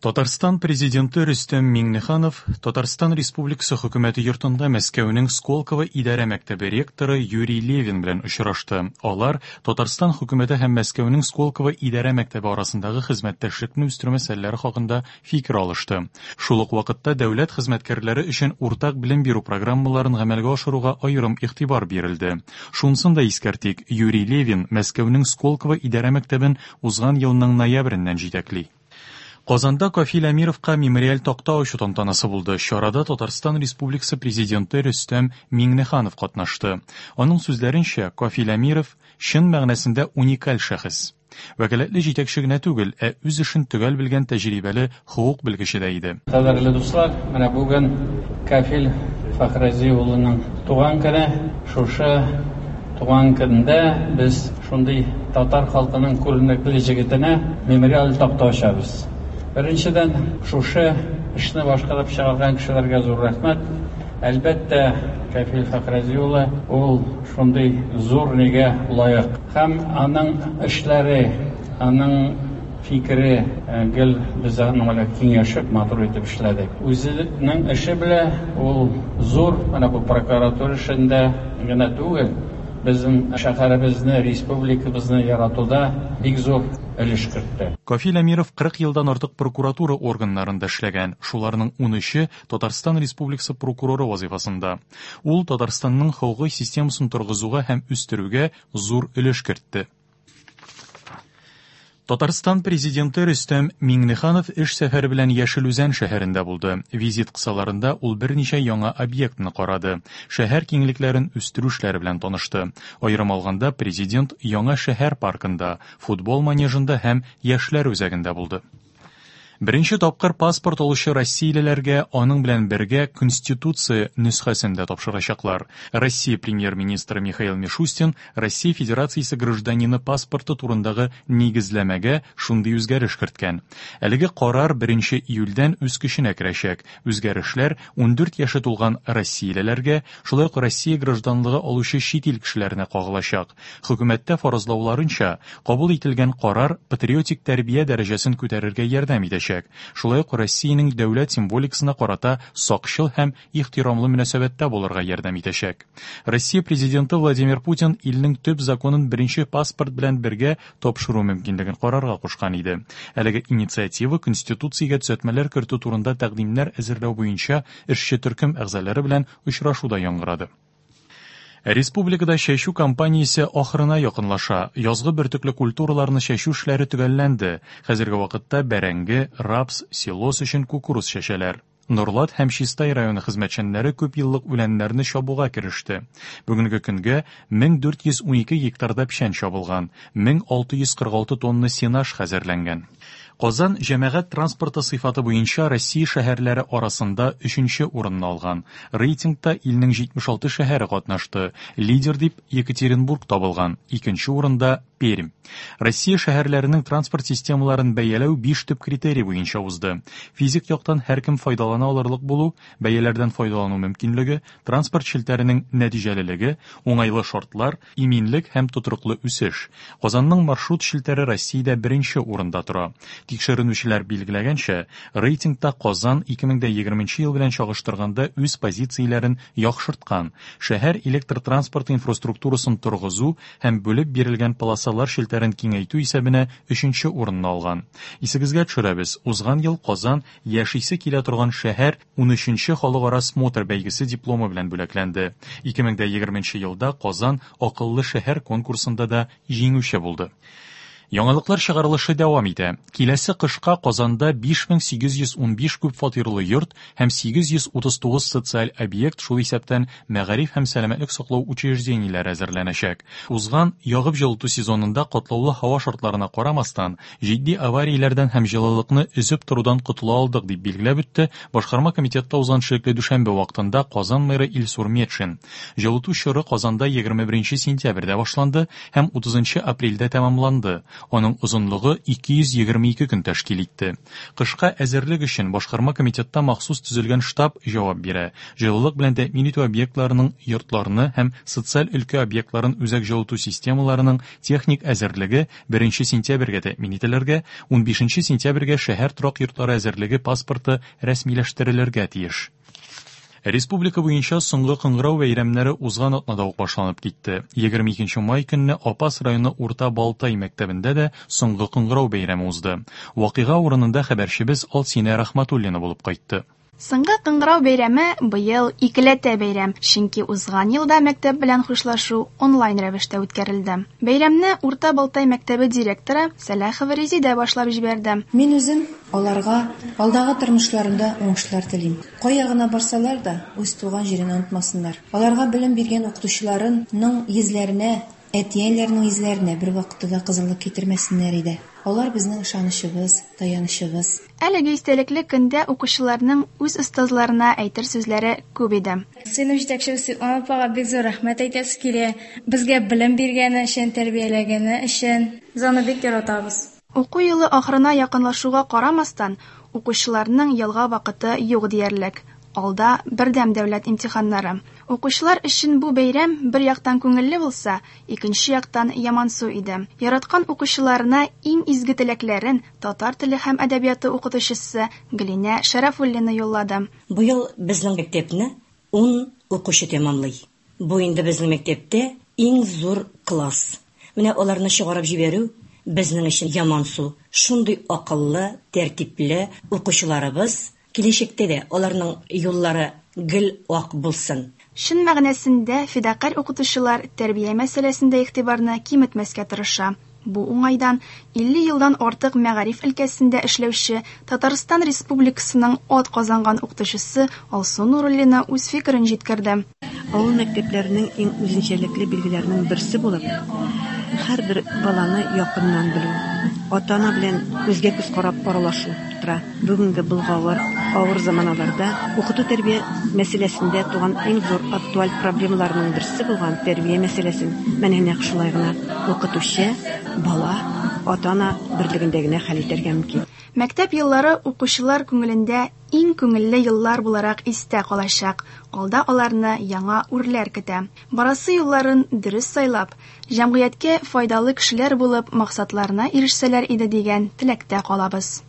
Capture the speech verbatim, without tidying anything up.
Татарстан Президенты Рөстәм Миңнеханов Татарстан Республикасы Хөкүмәте йортында Мәскәүнең Сколково идарә мәктәбе ректоры Юрий Левин белән очрашты. Алар Татарстан хөкүмәте һәм Мәскәүнең Сколково идарә мәктәбе арасындагы хезмәттәшлекне үстерү мәсьәләләре хакында фикер алышты. Шул ук вакытта дәүләт хезмәткәрләре өчен уртак белем бирү программаларын гамәлгә ашыруга аерым игътибар бирелде. Шунысын да искәртик, Юрий Левин Мәскәүнең Сколково идарә мәктәбен узган елның ноябреннән җитәкли. Казанда Кафил Әмировка мемориаль такта ачу тантанасы булды. Чарада Татарстан Республикасы Президенты Рөстәм Миңнеханов катнашты. Аның сүзләренчә, Кафил Әмиров чын мәгънәсендә уникаль шәхес. Вәкаләтле җитәкче генә түгел, ә үз эшен төгәл белгән тәҗрибәле хокук белгече дә иде. Кадерле дуслар, менә бүген Кафил Фәхрази улының туган көне. Шушы туган көндә без шундый татар халкының күренекле җегетенә мемориаль такта ачабыз. Беренчедән, шушы эшне башкарып чыгарган кешеләргә зур рәхмәт. Әлбәттә, Кафил Фәхрази улы ул шундый зур нигә лаек. Һәм аның эшләре, аның фикере гел без аның белән киңәшеп, матур итеп эшләдек. Үзенең эше белән ул зур, менә бу прокуратура эшендә генә түгел, безнең шәһәребезне, республикабызны яратуда бик зур өлеш кертте. Кафил Әмиров кырык елдан артык прокуратура органнарында эшләгән. Шуларның унөче Татарстан Республикасы прокуроры вазифасында. Ул Татарстанның хокукый системасын торгызуга һәм үстерүгә зур өлеш кертте. Татарстан Президенты Рөстәм Миңнеханов эш сәфәре белән Яшел Үзән шәһәрендә булды. Визит кысаларында ул берничә яңа объектны карады. Шәһәр киңлекләрен үстерү эшләре белән танышты. Аерым алганда, президент яңа шәһәр паркында, футбол манежында һәм яшьләр үзәгендә булды. Беренче тапкыр паспорт алучы россиялеләргә аның белән бергә Конституция нөсхәсен дә тапшырачаклар. Россия премьер-министры Михаил Мишустин Россия Федерациясе гражданины паспорты турындагы нигезләмәгә шундый үзгәреш керткән. Әлеге карар беренче июльдән үз көченә керәчәк. Үзгәрешләр ундүрт яше тулган россиялеләргә, шулай ук Россия гражданлыгы алучы чит ил кешеләренә кагылачак. Хөкүмәттә фаразлауларынча, кабул ителгән карар патриотик тәрбия дәрәҗәсен күтәрергә ярдәм итәчәк. Шулай ук Россиянең дәүләт символикасына карата сакчыл һәм ихтирамлы мөнәсәбәттә булырга ярдәм итәчәк. Россия президенты Владимир Путин илнең төп законын беренче паспорт белән бергә тапшыру мөмкинлеген карарга кушкан иде. Әлеге инициатива Конституциягә төзәтмәләр кертү турында тәкъдимнәр әзерләү буенча эшче төркем әгъзалары белән очрашуда яңгырады. Республикада чәчү кампаниясе ахырына якынлаша. Язгы бөртекле культураларны чәчү эшләре төгәлләнде. Хәзерге вакытта бәрәңге, рапс, силос өчен кукуруз чәчәләр. Нурлат һәм Чистай районы хезмәтчәннәре күп еллык үләннәрне чабуга кереште. Бүгенге көнгә мең дүрт йөз унике гектарда печән чабылган, мең алты йөз кырык алты тонна сенаж хәзерләнгән. Казан җәмәгать транспорты сыйфаты буенча Россия шәһәрләре арасында өченче урынны алган. Рейтингта илнең җитмеш алты шәһәре катнашты. Лидер дип Екатеринбург табылган, икенче урында Пермь. Россия шәһәрләренең транспорт системаларын бәяләү биш төп критерий буенча узды. Физик яктан һәркем файдалана алырлык булу, бәяләрдән файдалану мөмкинлеге, транспорт челтәренең нәтиҗәлелеге, уңайлы шартлар, иминлек һәм тотрыклы үсеш. Казанның маршрут челтәре Россиядә беренче урында тора. Тикшеренүчеләр билгеләгәнчә, рейтингта Казан ике мең дә егерменче ел белән чагыштырганда үз позицияләрен яхшырткан. Шәһәр электр транспорты инфраструктурасын торгызу һәм бүлеп бирелгән полосалар челтәрен киңәйтү исәбенә өченче урынны алган. Исегезгә төшерәбез, узган ел Казан яшисе килә торган шәһәр унөченче халыкара смотр бәйгесе дипломы белән бүләкләнде. Ике мең дә егерменче елда Казан акыллы шәһәр конкурсында да җиңүче булды. Яңалыклар чыгарылышы дәвам итә. Киләсе кышка Казанда биш мең сигез йөз унбиш күп фатирлы йорт һәм сигез йөз утыз тугыз социаль объект, шул исәптән мәгариф һәм сәламәтлек саклау учреждениеләре әзерләнәчәк. Узган ягып җылыту сезонында катлаулы һава шартларына карамастан, җитди аварияләрдән һәм җылылыкны өзеп торудан котыла алдык, дип билгеләп үтте Башкарма комитетта узган шикле дүшәмбе вакытында Казан мэры Илсур Метшин. Җылыту чоры Казанда егерме беренче сентябрьдә башланды һәм утызынчы апрельдә тәмамланды. Аның озынлыгы ике йөз егерме ике көн тәшкил итте. Кышка әзерлек өчен башкарма комитетта махсус төзелгән штаб җавап бирә. Җылылык белән тәэмин итү объектларының йортларны һәм социаль өлкә объектларын үзәк җылыту системаларының техник әзерлеге беренче сентябрьгә тәэмин ителергә, унбишенче сентябрьгә шәһәр торак йортлары әзерлеге паспорты рәсмиләштерелергә тиеш. Республика буенча соңгы кыңгырау бәйрәмнәре узган атнада ук башланып китте. Егерме икенче май көнне Апас районы Урта Балтай мәктәбендә дә соңгы кыңгырау бәйрәме узды. Вакыйга урынында хәбәрчебез Алсинә Рахматуллина булып кайтты. Соңгы кыңгырау бәйрәме быел икеләтә бәйрәм, чөнки узган елда мәктәп белән хушлашу онлайн рәвештә үткәрелде. Бәйрәмне Урта Балтай мәктәбе директоры Сәлахова Резидә башлап җибәрде. Мин үзем аларга алдагы тормышларында уңышлар телим. Кая гына барсалар да, үз туган җирен онытмасыннар. Аларга белем биргән укытучыларының йөзләренә, әти-әниләренең йөзләренә бер вакытта да кызыллык китермәсеннәр иде. Алар безнең ышанычыбыз, таянычыбыз. Әлеге истәлекле көндә укучыларның үз остазларына әйтер сүзләре күп иде. Сыйныф җитәкчебез Светлана апага бик зур рәхмәт әйтәсе килә. Безгә белем биргәне өчен, тәрбияләгәне өчен. Без аны бик яратабыз. Уку елы ахырына якынлашуга карамастан, укучыларның ялга вакыты юк диярлек. Алда бердәм дәүләт имтиханнары. Укучылар өчен бу бәйрәм бер яктан күңелле булса, икенче яктан ямансу иде. Яраткан укучыларына иң изге теләкләрен татар теле һәм әдәбияты укытучысы Гөлинә Шәрәфуллина юллады. Быел безнең мәктәпне ун укучы тәмамлый. Бу инде безнең мәктәптә иң зур класс. Менә аларны чыгарып җибәрү безнең өчен ямансу. Шундый акыллы, тәртипле укучыларыбыз киләчәктә дә аларның юллары гел ак булсын. Чын мәгънәсендә фидакарь укытучылар тәрбия мәсьәләсендә игътибарны киметмәскә тырыша. Бу уңайдан илле елдан артык мәгариф өлкәсендә эшләүче Татарстан Республикасының ат казанган укытучысы Алсу Нуруллина үз фикерен җиткерде. Авыл мәктәпләренең иң үзенчәлекле билгеләренең берсе булып, һәрбер баланы якыннан белү, ата-ана белән күзгә күз карап аралашу тора. Бүгенге болгавыр, авыр заманаларда укыту тәрбия мәсьәләсендә туган иң зур актуаль проблемаларның берсе булган тәрбия мәсьәләсен менә нәкъ шулай гына укытучы, бала, ата-ана берлегендә генә хәл итәргә мөмкин. Мәктәп еллары укучылар күңелендә иң күңелле еллар буларак истә калачак. Алда аларны яңа үрләр көтә. Барасы юлларын дөрес сайлап, җәмгыятькә файдалы кешеләр булып максатларына ирешсәләр иде дигән теләктә калабыз.